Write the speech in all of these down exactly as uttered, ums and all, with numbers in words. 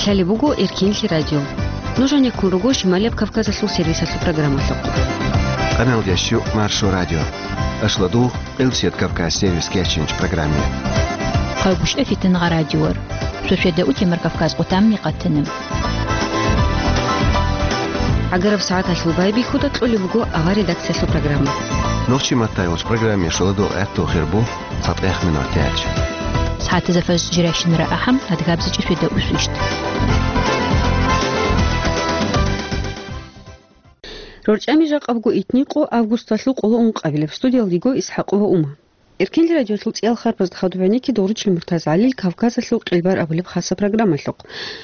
Лъалеб буго Эркинлъи радио. Нуж гьанеккун руго Шималияб Кавказалъул сервисалъул программалъухъ. Къаналда щук Маршо радио. Ашладу Къилсият Кавказ сервис кечинч программе. Хъавгуш эфитан гъа радиор. Сосведа утемар Кавказ къутамни къатана. ГӀагараб сагӀаталъул байбихьуда кьолеб буго авар редакциялъул программа. Нохчи маттай уч программе шоладу гӀатту хирбу. ЦатӀех минутач. СагӀатазда фаз жирайщинара ахӀам, адгабзичӀи светда усвищт. РорчӀами жакъабго итникъо августалъул къоло ункъабилеб. Студиялдиго ИсхӀакъова Ума. Эркинлъи радиолъул цӀиял харбазда хадуб гӀенекки Догъручил МуртазгӀалил Кавказалъул къилбар абулеб хаса программалъухъ.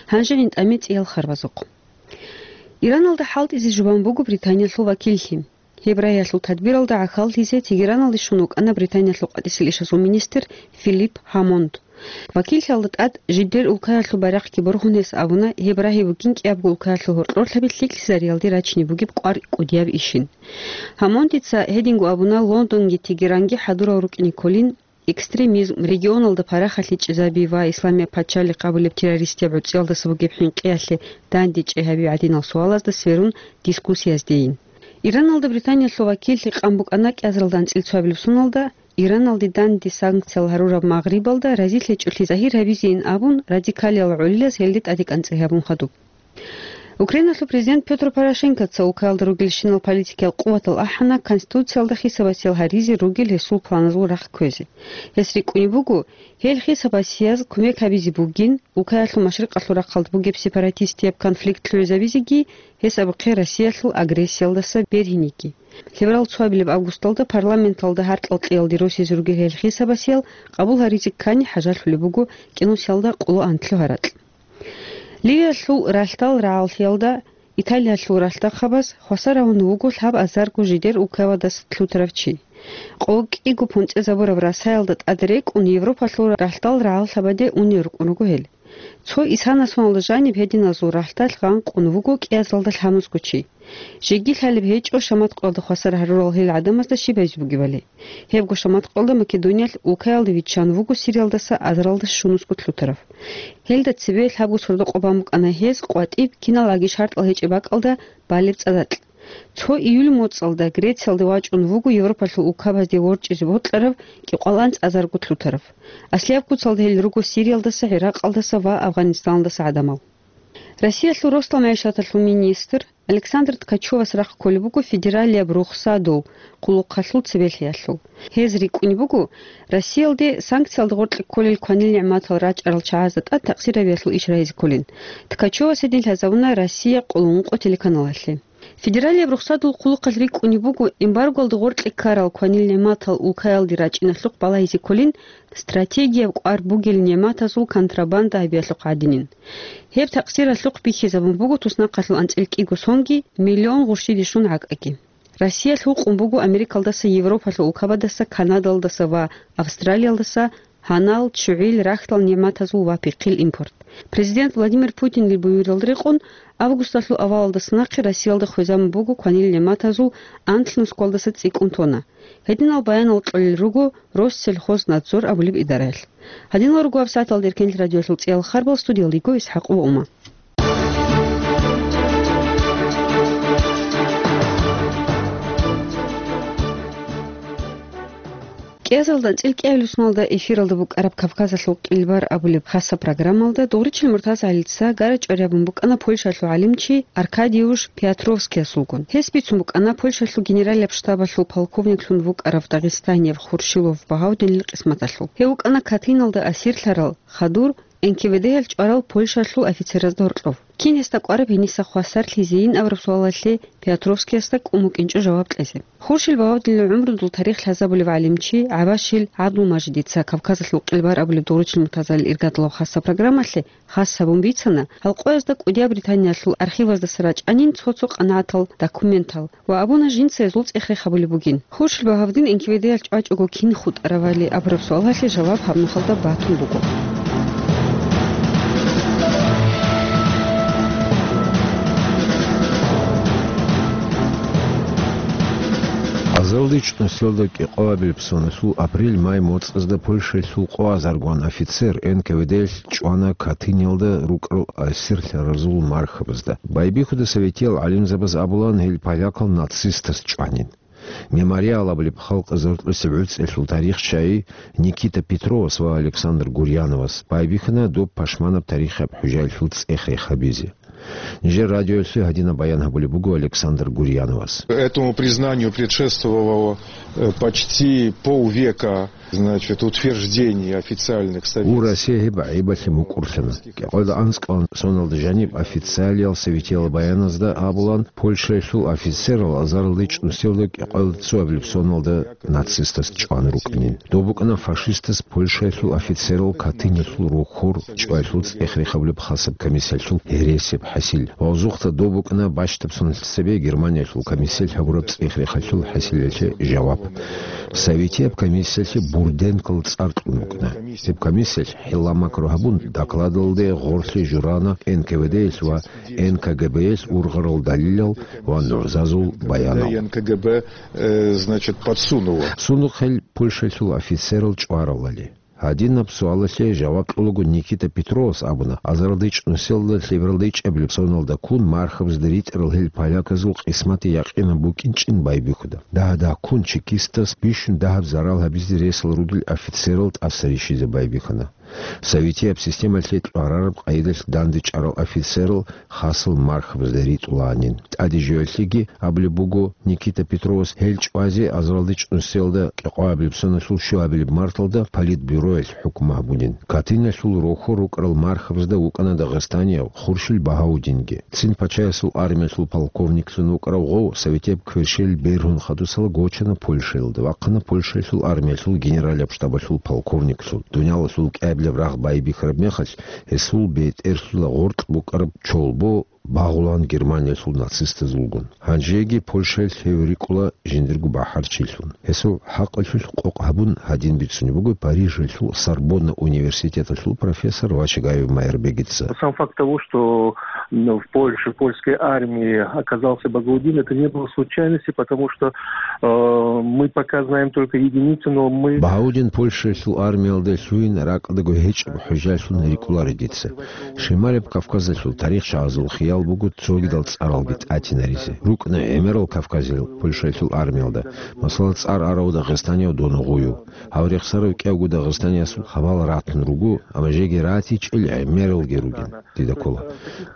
Гьанже гьинтӀаме цӀиял харбазухъ. Ираналда хӀалтӀизе жубан буго Британиялъул вакиллъи. Гьеб рагӀиялъул тадбиралда гӀахьаллъизе Тегераналде щун вукӀана Британиялъул къватӀиса ишазул министр Филипп Гьамонд. Вакиллъиялда тӀад жидер улкаялъул байрахъги борхун гьес абуна, гьеб рагӀи бугин кӀиябго улкаялъул гьоркьорлъаби лъикӀлъизариялде рачине бугеб къвар кӀудияб ишин. Гьамондица гьединго абуна, Лондонги Тегеранги хӀадурал рукӀине кколин, экстремизм, регионалда парахалъи чӀезаби ва Исламияб пачалихъ абулеб террористияб гӀуцӀиялдаса бугеб хӀинкъиялъе дандечӀей гьаби гӀадинал суалазда сверун дискуссияздейин. Ираналда Британиялъул вакиллъи къан букӀана кӀиазаралда анцӀил цоабилеб соналда, Ираналде данде санкциял гьарураб Магърибалда разилъичӀолъи загьир гьабизейин абун, радикалиял гӀолилаз гьелде тӀаде кӀанцӀи гьабун хадуб. Украиналъул президент Пётр Порошенкоца улкаялда ругелщинал политикиял къуватал ахӀана Конституциялда хисабасиял гьаризе ругел гьесул планазул рахъ кквезе. Гьес рикӀкӀунеб буго, гьел хисабасияз кумек гьабизе бугин, улкаялъул машрикъалъул рахъалда бугеб сепаратистияб конфликт лъугӀизабизеги, гьес абухъе Россиялъул агрессиялдаса бергьинеги. Лъеберал цоабилеб августалда парламенталда гьаркьал кьеялде росизе ругел гьел хисабасиял къабул гьаризе ккани хӀажалъулеб буго кӀинусиялда къоло анлъго гьаракь. Ливиялъул ралъдал рагӀаллъиялда Италиялъул ралъдахъабаз хвасар гьавун вуго лъабазарго жидер улкаялдаса лъутарав чи. Къо кӀиго понцӀезабураб расаялда тӀад рекӀун Европалъул ралъдал рагӀаллъабаде унел рукӀун руго гьел. Цо исана соналда жаниб гьединазул ралъдалъ гъанкъун вуго кӀиазалда лъабазарго чи. Жеги лъалеб гьечӀо шаматкъалда хвасар гьарурал гьел гӀадамазда щиб гьабизе бугебали. Гьебго шаматкъалда Македониялъ улкаялде виччан вуго Сириялдаса азаралда щунусго лъутарав. Гьелда цебе лъабго сордо-къо бан букӀана гьез къватӀиб киналгӀаги шартӀал гьечӀеб бакӀалда балеб цӀадакь. Цо июль моцӀалда Грециялде вачӀун вуго Европалъул улкабазде ворчӀизе бокьарав кӀикъоялда анцӀазарго лъутарав. Аслияб куцалда гьел руго Сириялдаса, ГӀиракъалдаса ва Афганистаналдаса гӀадамал. Россиялъул росдал магӀишаталъул министр Александр Ткачевас рахъ кколеб буго федералияб рухсадул хъулухъалъул цебелъиялъул. Гьез рикӀкӀунеб буго, Россиялде санкциялда гъоркье кколел кванил нигӀматал рачӀарал чагӀазда тӀад такъсирабиялъул иш рагьизе кколин. Ткачевас гьедин лъазабуна «Россия» къоло ункъо телеканалалъе. Федералияб рухсадул хъулухъалъ рикӀкӀунеб буго эмбаргоялда гъоркье ккарал кванил нигӀматал улкаялде рачӀиналъухъ балагьизе кколин стратегияб кӀвар бугел нигӀматазул контрабанда гьабиялъухъ гӀадинин. Гьеб такъсиралъухъ бихьизабун буго туснахъалъул анцӀил кӀиго сонги миллион гъурщиде щун гӀакӀаги. Россия лъукъун буго Америкалдаса, Европалъул улкабаздаса, Канадалдаса ва Австралиялдаса гьанал, ччугӀил, рахьдал нигӀматазул ва пихъил импорт. Президент Владимир Путинил буюралда рекъон, августалъул авалалдаса нахъе Россиялда хвезабун буго кванил нигӀматазул анлънусгоялдаса цӀикӀкӀун тонна. Гьединал баянал кьолел руго Россельхознадзор абулеб идараялъ. Гьадинал руго гьабсагӀаталда Эркенлъи радиоялъул цӀиял харбал, студиялда йиго ИсхӀакъова Ума. КӀиазалда анцӀил кӀиабилеб соналда эфиралда букӀараб Кавказалъул къилбар абулеб хаса программалда Догъричил МуртазгӀалица гара-чӀвари гьабун букӀана Польшалъул гӀалимчи Аркадиуш Пиотровскиясулгун. Гьес бицун букӀана Польшалъул генералияб штабалъул полковниклъун вукӀарав дагъистанияб Хуршилов Багьавдинил къисматалъул. Гьев вукӀана Катыналда асирлъарал хадур НКВД-ял чӀварал Польшалъул офицеразда гьоркьов. Кин гьесда кӀвараб гьениса хвасарлъизейин абураб суалалъе Пиотровскиясда кӀун букӀинчӀо жаваб кьезе. Хуршил Багьавдинил гӀумрудул тарих лъазабулев гӀалимчи ГӀабашил ГӀабдулмажидица Кавказалъул къилбар абулеб Догъричил МуртазгӀалил иргадлъул хаса программалъе хас гьабун бицана, гьал къоязда кӀудияб Британиялъул архиваздаса рачӀанин цо-цо къанагӀатал документал ва абуна жинца гьезул цӀех рехабулеб бугин. Хуршил Багьавдин НКВД-ял чӀвачӀого кин хутӀаравали абураб суалалъе жаваб гьаб нухалда батун буго. АзаралдичӀ нусиялда кӀикъоабилеб соналъул апрель-май моцӀазда Польшаялъул къо азаргун офицер Н К В Д-ялъ чӀвана Катыниялда рукӀарал асирлъаразул мархабазда. Байбихьуда советиял гӀалимзабаз абулан, гьел полякал нацистаз чӀванин. Мемориал абулеб халкъ зортлъусеб гӀуцӀиялъул тарихчияй Никита Петровас ва Александр Гурьяновас байбихьана доб пашманаб тарихияб хӀужаялъул цӀех рехабизе. Нижер радиоялъе гьадинаб баян гьабулеб буго Александр Гурьяновас. Этому признанию предшествовало, э, почти полвека, значит, утверждений официальных. Гьеб советских. Россия гьеб гӀайибалъе мукӀурлъана. КӀикъоялда анцӀкӀалда соналда жаниб официалиял советиял баяназда абулан, Польшаялъул офицерал азаралдичӀ нусиялда кӀикъоялда цоабилеб соналда нацистаз чӀван рукӀанин. Доб букӀана фашистаз Польшаялъул офицерал Катыниялъул рохьор чӀваялъул цӀех рехабулеб хасаб комиссиялъул гьересияб хӀасил. Ва озухъа доб букӀана бащдаб соналъ цебе Германиялъул комиссиялъ гьабураб цӀех рехалъул хӀасилалъе жаваб. Советияб комиссиялъе Бурденкол цӀар кьун букӀана. Гьеб комиссиялъ хӀилла-макру гьабун, докладалде гъорлъе журана Н К В Д-ялъ ва Н К Г Б-ялъ ургъарал далилал ва нугӀзазул баянал. Н К Г Б, э, значит, подсунуло. Сундухъ гьел Польшаялъул офицерал чӀваралали. Гьадинаб суалалъе жаваб кьолаго Никита Петровас абуна, азаралдичӀ нусиялда лъебералда ичӀабилеб соналда ккун мархабазда ритӀарал гьел поляказул къисматги якъинаб букӀинчӀин байбихьуда. Дагьа-дагьккун чекистас бищун дагьаб зарал гьабизе ресал ругел офицерал тӀаса рищизе байбихьана. Советияб системалъе кьварараб къайдалъ дандечӀарал офицерал хасал мархабазда ритӀулаанин. ТӀаде жоялъеги абулеб буго, Никита Петровас гьел чӀвазе азаралдичӀ нусиялда кӀикъоабилеб соналъул щуабилеб марталда политбюроялъ хӀукму гьабунин. Катыниялъул рохьор рукӀарал мархабазда вукӀана дагъистанияв Хуршил Багьаудинги. Цин пачаясул армиялъул полковниклъун вукӀарав гъов советияб кверщел бергьун хадусала гочана Польшаялда, вахъана Польшаялъул армиялъул генералияб штабалъул полковниклъун. Дуниялалъул кӀиабилеб рагъ байбихьараб мехалъ, гьесул бетӀерлъула гъоркь букӀараб чолбо багъулан Германиялъул нацистазулгун. Гьанжеги Польшаялъ гьев рикӀкӀула жиндирго бахӀарчилъун. Гьесул хӀакъалъулъ къокъ гьабун гьадин бицунеб буго Парижалъул Сорбонна университеталъул профессор Вачагаев Майрбегица. Сам факт того, что, м, в Польше, в польской армии оказался Багаудин, это не было случайности, потому что, э, мы пока знаем только единицы, но мы... Багьаудин Польшаялъул армиялде лъугьин ракӀалдаго гьечӀеб хӀужалъун рикӀкӀунаро дица. Шималияб Кавказалъул тарихчагӀазул хиял буго цогидал цӀаралги тӀатинаризе. РукӀна гӀемерал кавказиял Польшаялъул армиялда, масала, цӀар арав дагъистанияв Доногъуев. Гьав рехсарав кӀиявго дагъистаниясул хабал ратун руго, амма жеги ратичӀел гӀемералги ругин, дида ккола.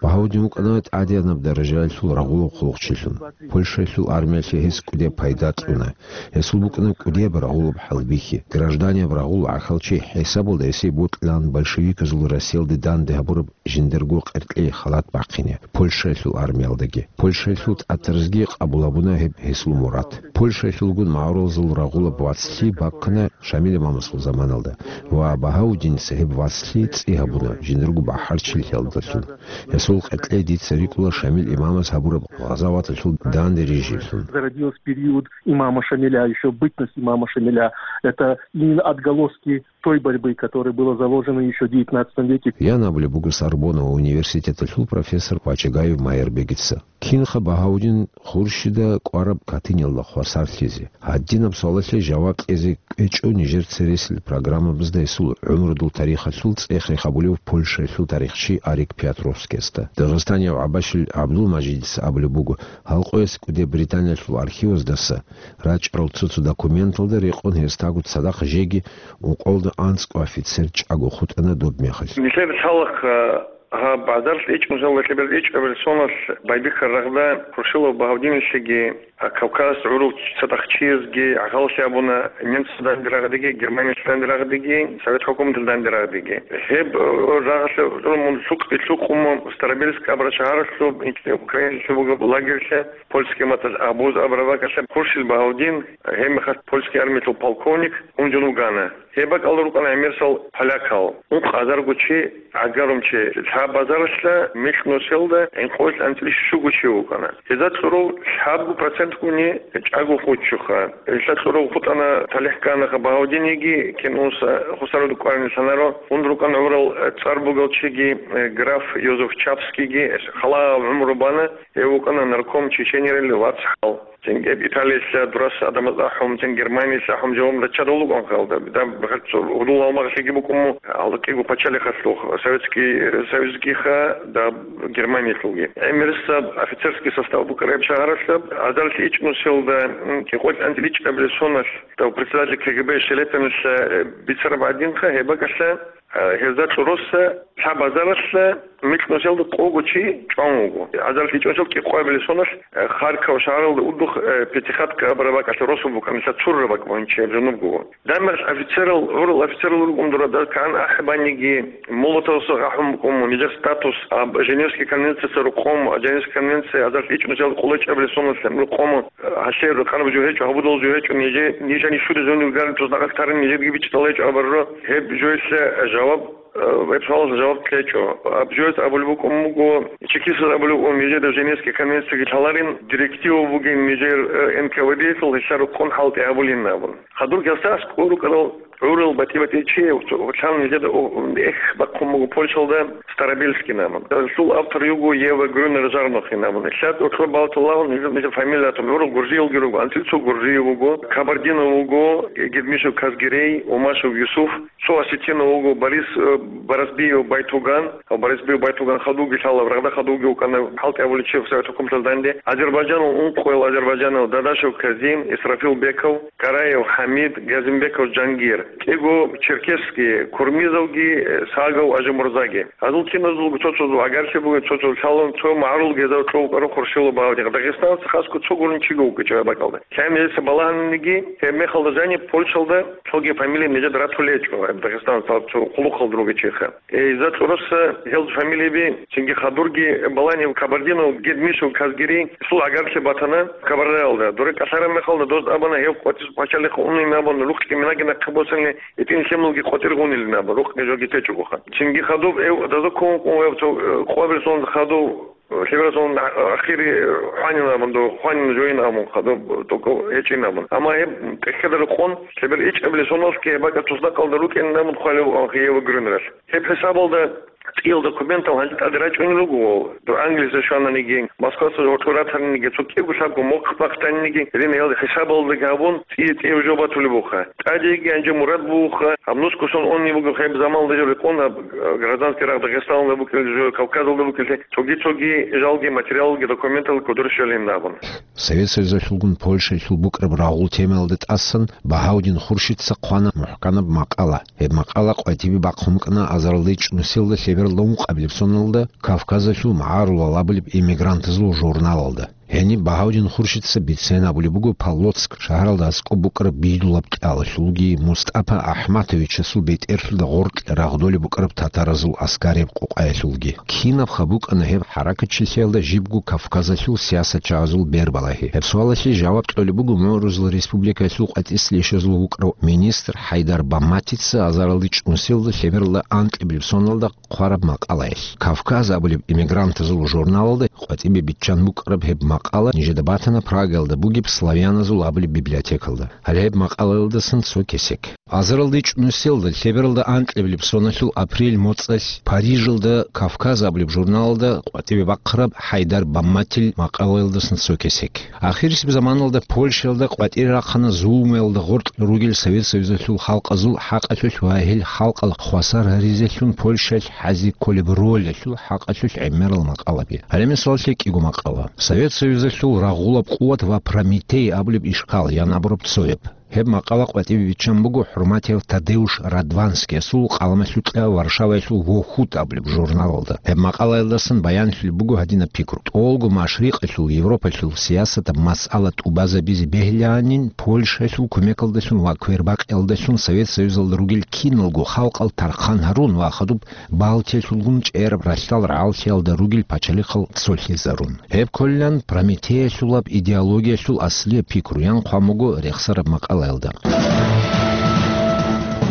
Багьаудин вукӀана тӀадегӀанаб даражаялъул рагъулаб хъулухъчилъун. Польшаялъул армиялъе гьес кӀудияб пайда кьуна. Гьесул букӀана кӀудияб рагъулаб хӀалбихьи. Гражданияб рагъул гӀахьалчи хӀисабалда гьесие бокьилаан большевиказул Россиялде данде гьабураб жиндирго къеркьей халат бахъине Польшаялъул армиялдаги. Польшаялъул тӀатаразги къабул гьабуна гьеб гьесул мурад. Польшаялъулгун магӀарулазул рагъулаб вацлъи бахъана Шамил имамасул заманалда ва Багьаудиница гьеб вацлъи цӀи гьабуна жиндирго бахӀарчилъиялдалъун. Гьесул къеркьей дица рикӀкӀула Шамил имамас гьабураб гъазаваталъул данде рижиблъун. Зародилась в период имама Шамиля, ещё бытность имама Шамиля. Это именно отголоски той борьбы, которая была заложена ещё в девятнадцатом веке. Ян абулеб буго Сорбонна университеталъул профессор Вачагаев Майрбегица. Кинха Багьаудин Хуршида кӀвараб Катыниялда хвасарлъизе? Гьадинаб суалалъе жаваб кьезе кӀвечӀо нижер цересел программабазда гьесул гӀумрудул тарихалъул цӀех рехабулев Польшаялъул тарихчи Арик Пиотровскиясда. Дагъистанияв ГӀабашил ГӀабдулмажидица абулеб буго, гьал къоялъ кӀуде Британиялъул архиваздаса рачӀарал цо-цо документалда рекъон гьесдаго цадахъ жеги ункъоялда анцӀго офицер чӀаго хутӀана доб мехалъ. Нилъер лъалахъ, а, гьаб азаралъ ичӀ-, нусиялда лъебералда ичӀабилеб соналъ байбихьараб рагъда Хуршилов Багьаудиналъеги, а, Кавказ гӀурул цадахъ чиясги гӀахьаллъи абуна немцазда данде рагъадеги, Германиялъ данде рагъадеги, Совет хӀукуматалъ данде рагъадеги. Гьеб, э, рагъалъе гӀурун мун лъукъ-, лъукъун мун Старобельск абураб шагьаралъуб, Украиналъуб бугеб лагерьлъа, польский маталъ Абуз абураб бакӀалъа Хуршил Багьаудин, гьеб мехалъ польский армиялъул полковник, унжун вугана. Гьеб бакӀалда рукӀана гӀемерисел полякал. Ункъ азарго чи, гӀагарум чи. Лъаб азаралъа микь нусиялда гӀинкъоялъ анцӀила щуго чи вукӀана. Гьезда кьурав лъабго процентгуни чӀаго хутӀчӀоха. Гьелда кьурав хутӀана, талихӀ кканаха Багьаудинеги, кин унса хусаруда кӀварин лъанаро. Унда рукӀана гӀурал цӀар бугел чиги, э, граф Йозеф Чапскийги, халаяб гӀумру бана, гьев вукӀана нарком Чеченерил вацгӀал. Цинги Италиялъа дурас гӀадамаз ахӀун, цин Германиялъа ахӀун жаваб раччарал рукӀун халда. Дам бахъал цо гьудул гьалмагълъиги букӀун му, гьалкьиго пачалихъалъухъ, Советский Союзгиха, даб Германиялъулги. ГӀемерисаб офицерский состав букӀараб шагьаралъаб, азаралъ ичӀнусиялда, м, кӀикъоялъ анцӀила ичӀабилеб соналъ, дав председатель КГБ Шелепинилъа, э, бицараб гӀадинха, гьеб бакӀалъа, э, гьезда чӀороса лъаб азаралъа микьнусиялда къого чи чӀван вуго. Азаралъ ичӀнусиял кӀикъоябилеб соналъ, э, Харьков шагьаралда удухъ, э, Пятихатка абураб бакӀалъа росу букӀанилъа цурра бакӀ бугьинчи гьеб жунубго. Дам бахъал офицерал, гӀурал офицерал рукӀун дура, дал кан ахӀбаниги, Молотовасда ахӀун букӀун, нижер статус, аб, Женевский конвенцияса рукъом, Женевский конвенция азаралъ ичӀнусиял къоло чӀабилеб соналъ рукъом, гьалъе рукъанаб жо гьечӀо, гьабудал жо гьечӀо, нижер, нижани щури зонив гарантус нахъал тарин, нижерги бичӀчӀал гьечӀо абарро, гьеб жоялъе жаваб, э, гьеб суалалъе жаваб кьечӀо. Аб жоялъ абулеб букӀун буго, чекистаз абулеб букӀун, нижеда Женевский конвенцияги лъаларин, директива бугин нижер, э, Н К В Д-ялъул гьелъа рукъун хӀалтӀи гьабулин абун. Хадур гьасда аскӀор рукӀарал гӀурал батӀи-батӀи чи, гьелъан нижеда, о, эх, бахъун буго Польшалда Старобельский абун. Гьелъул автор йиго Ева Грюнер Жарнохин абун. Гьелъа тӀокӀлъо балталагьун нижер, нижер фамилиятун гӀурал гуржиялги руго, анцӀила цо гуржи вуго, Кабардинов вуго, Гедмишев Казгерей, Умашев Юсуф, цо осетинав вуго Борис, э, Барасбиев Байтуган, Барасбиев Байтуган хадуги лъала, рагъда хадуги вукӀана, хӀалтӀи гьабулев чи Совет хӀукуматалда данде. Азербайджанал ункъоял азербайджанал Дадашев Казим, Исрафил Беков, Караев ХӀамид, Газимбеков Жангир, кӀиго черкесский, Курмизовги, э, Сагов Ажимурзаги. Гьазул киназулго цо-цо агарлъи бугин, цо-цо лъалун, цо магӀарул гьезда чӀвав вукӀарун Хуршилов Баудин. Дагъистаналъа хасго цо гурун чиго вукӀинчӀо гьеб бакӀалда. Лъай нижеца балагьаниги, гьеб мехалда жаниб Польшалда цоги фамилия нижеда ратулечӀо, гьеб Дагъистаналъа цо хъулухъалда ругечӀеха. Э, гьезда чӀораса гьел фамилияби, цинги хадурги балани Кабардинов, Гедмишев, Казгерей, гьесул агарлъи батана Кабардаялда. Дуре кӀалъараб мехалда доз абана гьев къватӀир пачалихъ унин абун, рукъги минаги нахъе босанилан, гьитӀин лъималги къватӀир гъунилин абун, рукъги жоги течӀого. Цинги хадуб гьев даза ккун вукӀун гьев цо, э, къвабилсун хадуб, э, лъеберасун а-, ахири хванин абун, до хванин жоин абун, хадуб тӀокӀав гьечӀин абун. Амма гьеб тӀехьеда рекъон, лъебер ичӀабилеб соналъги гьеб бакӀа туснакъалда рукӀин абун хъвалев Ева Грюнералъ. Гьеб хӀисабалда цӀиял документал гьанже тӀаде рачӀунел руго, дов Англиялде щвананиги, Москваялда гьоркьор ратаниги, цо кӀиго-лъабго мохъ бахъаниги, гьединал хӀисабалдаги гьабун, цӀи-, цӀияб жо батулеб буха. ТӀадеги гьанже мурад буха, гьаб нусго сон унеб буго гьеб заманалда жо рекъон, гьаб, э, гражданский рагъ Дагъистаналда букӀин жо, Кавказалда букӀинлъи, цоги-цоги жалги, материалги, документал кодор щвелин абун. Совет Союзалъулгун Польшаялъул букӀараб рагъул темаялда тӀасан Багьаудин Хуршидца хъвана мухӀканаб макъала. Гьеб макъала къватӀибе бахъун букӀана азаралда ичӀнусиялда лъебералда ункъабилеб соналда Кавказалъул магӀарулал абулеб эмигрантазул журналалда. Гьениб Багьаудин Хуршидца бицен абулеб буго Полоцк шагьаралда аскӀоб букӀараб Бидулаб кӀалалъулги, МустӀапа АхӀматовичасул бетӀерлъуда гъоркь рагъдолеб букӀараб татаразул аскарияб къокъаялъулги. Кинабха букӀана гьеб хӀаракатчилъиялда жибго Кавказалъул сиясатчагӀазул бербалагьи? Гьеб суалалъе жаваб кьолеб буго МугӀрузул республикаялъул къватӀислъи ишазул вукӀарав министр ХӀайдар Бамматица азаралда ичӀнусиялда лъебералда анкьабилеб соналда хъвараб макъалаялъ. «Кавказ» абулеб эмигрантазул журналалда къватӀибе биччан букӀараб гьеб макъала нижеда батана Прагаялда бугеб Славяназул абулеб библиотекалда. Гьале гьеб макъалаялдасан цо кесек. Азаралда ичӀнусиялда лъебералда анкьабилеб соналъул апрель моцӀалъ Парижалда «Кавказ» абулеб журналалда къватӀибе бахъараб ХӀайдар Бамматил макъалаялдасан цо кесек. Ахирисеб заманалда Польшаялда къватӀире рахъана зулмуялда гъоркь ругел Совет Союзалъул халкъазул хӀакъалъулъ ва гьел халкъал хвасар гьаризелъун Польшаялъ хӀазе кколеб ролалъул хӀакъалъулъ гӀемерал макъалаби. Гьале мисаллъи кӀиго макъала. Совет Союзалъул рагъулаб къуват ва Прометей абулеб ишкал ян абураб цояб. Гьеб макъала къватӀибе биччан буго хӀурматияв Тадеуш Радванскиясул къаламалъукьа Варшаваялъул «Вохут» абулеб журналалда. Гьеб макъалаялдасан баянлъулеб буго гьадинаб пикру: тӀолго машрикъалъул, Европалъул сиясатаб масъала тӀубазабизе бегьилаанин, Польшаялъул кумекалдалъун ва квербакъиялдалъун Совет Союзалда ругел киналго халкъал тархъан гьарун ва хадуб Балтиялъулгун чӀераб ралъдал рагӀаллъиялда ругел пачалихъал цолъизарун. Гьеб кколилан Прометеялъулаб идеологиялъул аслияб пикру ян хъван буго рехсараб макъалаялда.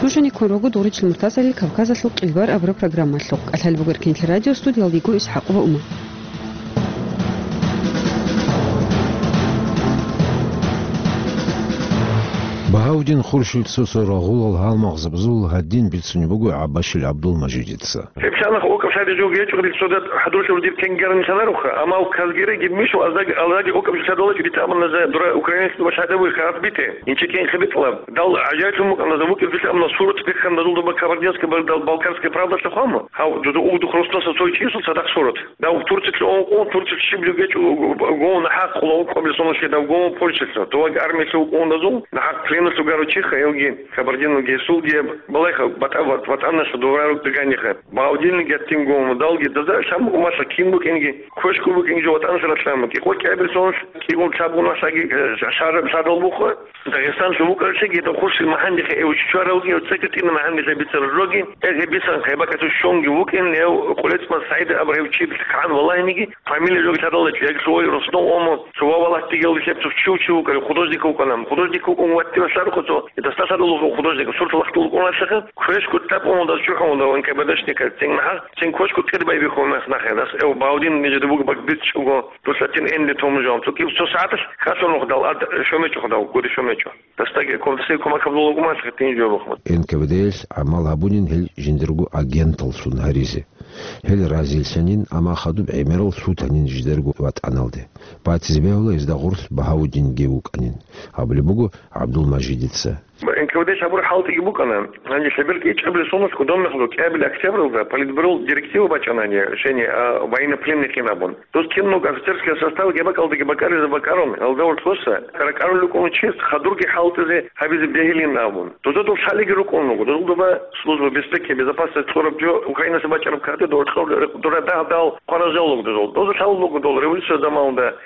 Нуж гьаниб ккун руго Дугъричил МуртазагӀалил «Кавказалъул къилбар» абураб программалъухъ. КӀалъалеб буго Эркенлъи радио, студиялда йиго ИсхӀакъова Ума. Багьавдин Хуршил цо-цо рагъулал гьалмагъзабазул гьадин бицунеб буго ГӀаббашил ГӀабдулмажидица. Гьеб лъанахъ окӀаб лъади жо гьечӀо гьел цодат хӀадурлъи дир кенгерни лъанаруха, амма казгереги мишо аздаги, аздаги окӀаб лъадалачӀо дица амма наза дура украинец дуба лъадабуй хаб бите. Инчи кенхъе битӀлаб. Дал гӀажаиблъун букӀана, за вукӀин филъа амма сурат биххана дазул дуба Кабардинская, дал Балкарская правдалъа хвама. Гьав, дуда угдух росдаса цой чисул цадахъ сурат. Дав Турциялъе ункъун, Турциялъ щиб гьечӀо, гов нахӀахъ хъула ункъабилсунулъе дав гов Польшалъа. Доваги армиялъе вукӀун дазул, нахӀахъ пленалъув гарав чиха, гьевги, кабардиналги, гьесулги, балайха, батӀа-, ват-, ватӀаналъа доварару дагьаниха. Багьавдинги гьатин гов, далги, даза лъан букӀун малъа кин букӀинги, квешкун букӀинги жо ватӀаналъа лъан букӀи. Къо кӀиабилсунулъ кӀигун лъабгун малъаги, э, шар-, шарал буха. Дагъистанлъун вукӀаралъеги, гьеб Хуршил магьандихъе эвчичӀваралги, гьев цӀикӀкӀитӀина магьандилъа бицарал жоги, гьел гьеб бисан гьеб бакӀалъул щонги вукӀин, гьев Къулецман СагӀид абурав гьев чи кагӀан валагьиниги, фамилия жоги лъадалда чи, гьелъул вай Руслан Омо, цо ва валагьтиги гьев лъеб цо чи вукӀарав художник вукӀана. Художник вукӀун ваттила лъарухъа цо, дасда лъадал вукӀун художник, сурат лахъдул вукӀуналъеха, квешкун тӀад унал дас чӀухӀун дав НКВДшниказ, цин магьа, цин квешкун кӀир байбихьун нас нахъе, дас гьев Багьавдин нижеда буго бакӀ бицчӀого, дус лъатин энди тому жо. Цо киб цо сагӀаталъ хасун вухдал ад шомечӀо худав, гури шомечӀо. Дасдаги ков-, дасдаги кумак гьабулел вукӀун малъа гьитин жо бухъун. НКВД-илъ гӀамал гьабунин гьел жиндирго агенталлъун гьаризе. Гьел разилъанин, амма хадуб гӀемерал лъутанин жидерго ватӀаналде. Батизе бегьула гьезда гъорлъ Багьавдинги вукӀанин, абулеб буго ГӀабдулмажидица. НКВД-лъ гьабураб хӀалтӀиги букӀана. Гьанже лъеберго кӀиабилеб соналъ кодомехалъ кӀиабилеб октябралда Политбюрол директива бачӀана гьанже, решение, а, военнопленныйхин абун. Дос киналго офицерская составги бакӀалдаги бакӀаризе бакӀарун, гьалда ортоса ракӀарулел рукӀун чияс хадурги хӀалтӀизе гьабизе бегьилин абун. Доза дол лъалиги рукӀун руго, дозул доба служба безпеки, безопасность кьураб жо Украинаса бачӀараб кагътида доркьор дура дагь-дагь хъваразал руго дозул. Доза лъалал руго дол революция заманалда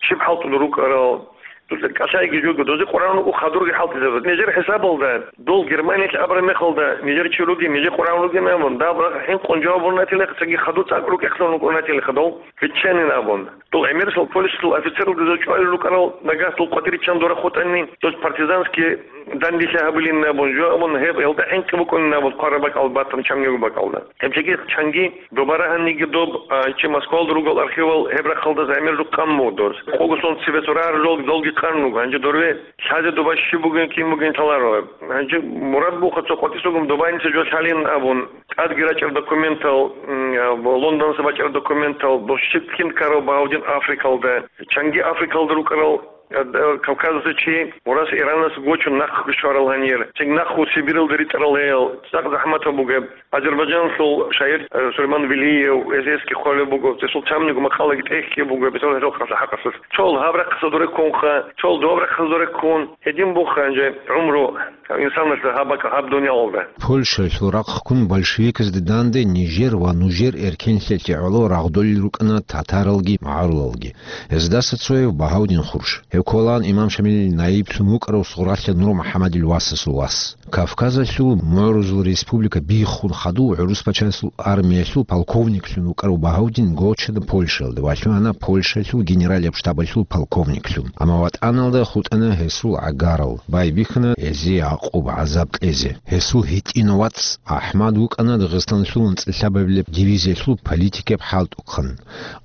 щиб хӀалтӀулел рукӀарал. Доза кӀалъайги жого, доза къваригӀун руго хадурги хӀалтӀизабураб. Нижер хӀисабалда, дол Германиялъ абураб мехалда, нижер чи ругин, нижер къваригӀун ругин абун, даб рахъ хӀинкъун жаваб гьабун ратилаха, цоги хадур цӀакъ рукӀехъан рукӀун ратилаха дол. Биччанин абун. Дол гӀемерисел Польшалъул офицералда доза чӀвалел рукӀарал, нагагь дол къватӀирччан дора хутӀани, дос партизанский дандилъи гьабилин абун, жо абун, гьеб гьелда хӀинкъи букӀунин абун, хъвараб бакӀал батун чамниго бакӀалда. Гьеб жеги чанги доба рагьаниги доб, а, чи Москвалда ругел архивал гьеб рахъалда замир рукъан мугъ дос. Къого сон цебе цо рагьарал долги къан руго, гьанже дорве лъазе доба щиб бугин, кин бугин лъаларо. Гьанже мурад буха цо къватӀисагун добаница жо лъалин абун, тӀадги рачӀарал документал, м, а, Лондонса бачӀарал документал, дос щиб кин ккарав Багьавдин Африкалда, чанги Африкалда рукӀарал, а, а, Кавказалъа чи мурас Иранас гочун нахъ щварал гьанир, чанги нахъ Сибиралда ритӀарал гьел, цӀакъ захӀматаб бугеб. Азербайджанлъул шагьир, э, Сулейман Велиев, эсэсги хъвалеб буго, цесул чамниго макъалаги тӀехьги буго, бетӀер гьезул хъаса-хӀакъалъулъ. Чол гьаб рахъаса дуреккунха, чол доб рахъаса дуреккун, гьедин буха гьанже гӀумру инсаналъул гьаб бакӀ-, гьаб дуниялалда. Польшалъул рахъ ккун большевиказде данде нижер ва нужер эркенлъиялъе гӀоло рагъдолел рукӀана татаралги магӀарулалги. Гьездаса цояв Багьавдин Хурш. Гьев кколаан имам Шамилил наиблъун вукӀарав Сугъралъа Нур МухӀаммадил васасул вас. Кавказалъул мугӀрузул республика биххун хадув гӀурус пачалъул армиялъул полковниклъун вукӀарав Багьавдин гочана Польшаялда ва лъугьана Польшалъул генералияб штабалъул полковниклъун. Амма ватӀаналда хутӀана гьесул гӀагарал, байбихьана гьезие гӀакъуба-гӀазаб кьезе. Гьесул гьитӀинав вац АхӀмад вукӀана Дагъистаналъул анцӀила лъабабилеб дивизиялъул политикияб хӀалтӀухъан.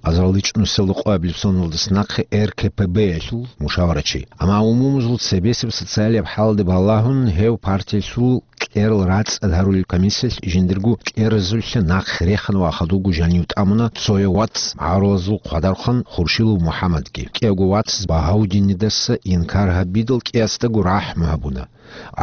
Азарилчи нусиялда къоабилеб соналдаса нахъе РКПБ-ялъул мушаварачи. Амма умумузул цебесеб социалияб хӀалде балагьун, гьев партиялъул кьерал рацӀцӀад гьарулел комиссиялъ жиндирго кьеразулъа нахъе рехана ва хадубго жанив тӀамуна цояв вац магӀарулазул хъвадархъан Хуршилов МухӀаммадги. КӀиявго вац Багьавдинидаса инкар гьабидал кӀиясдаго рахӀму гьабуна.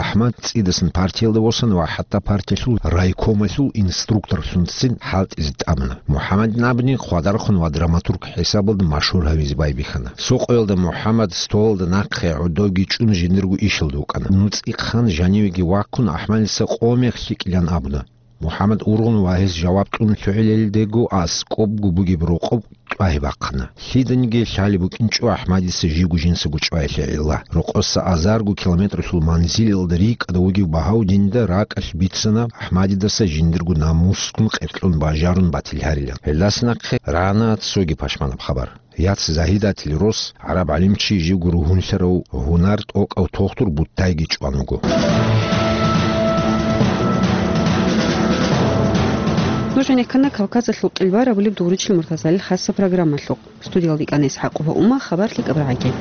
АхӀмад цӀидасан партиялда восана ва хӀатта партиялъул райкомалъул инструкторлъунцин хӀалтӀизе тӀамуна. МухӀаммадин абуни, хъвадархъун ва драматург хӀисабалда машгьур гьавизе байбихьана. Цо къоялда МухӀаммад столалда нахъе гӀодовги чӀун жиндирго ишалда вукӀана. НуцӀихъан жанивеги ваккун, АхӀмадица къо мех лъикӀилан абуна. МухӀаммад ургъун ва гьес жаваб кьун лъугӀилелдего аскӀобго бугеб рокъоб чӀвагьи бахъана. Лъиданиги лъалеб букӀинчӀо АхӀмадица живго жинцаго чӀваялъе гӀилла. Рокъоса азарго километралъул манзилалда рикӀкӀад вугев Багьавдинида ракӀалъ бицана АхӀмадидаса жиндирго намускун къеркьун бажарун батил гьарилан. Гьелдаса нахъе рана цоги пашманаб хабар. Яц Загьидатил рос, гӀараб гӀалимчи, живго ругьунлъарав гьунар тӀокӀав тухтур Буттайги чӀван вуго. Нуж гӀенеккана Кавказалъул къилбар абулеб дугӀручил муртазалил хасса программалъухъ. Студиялда икӀана ИсхӀакъова Ума, хабар лъикӀаб рагӀаги.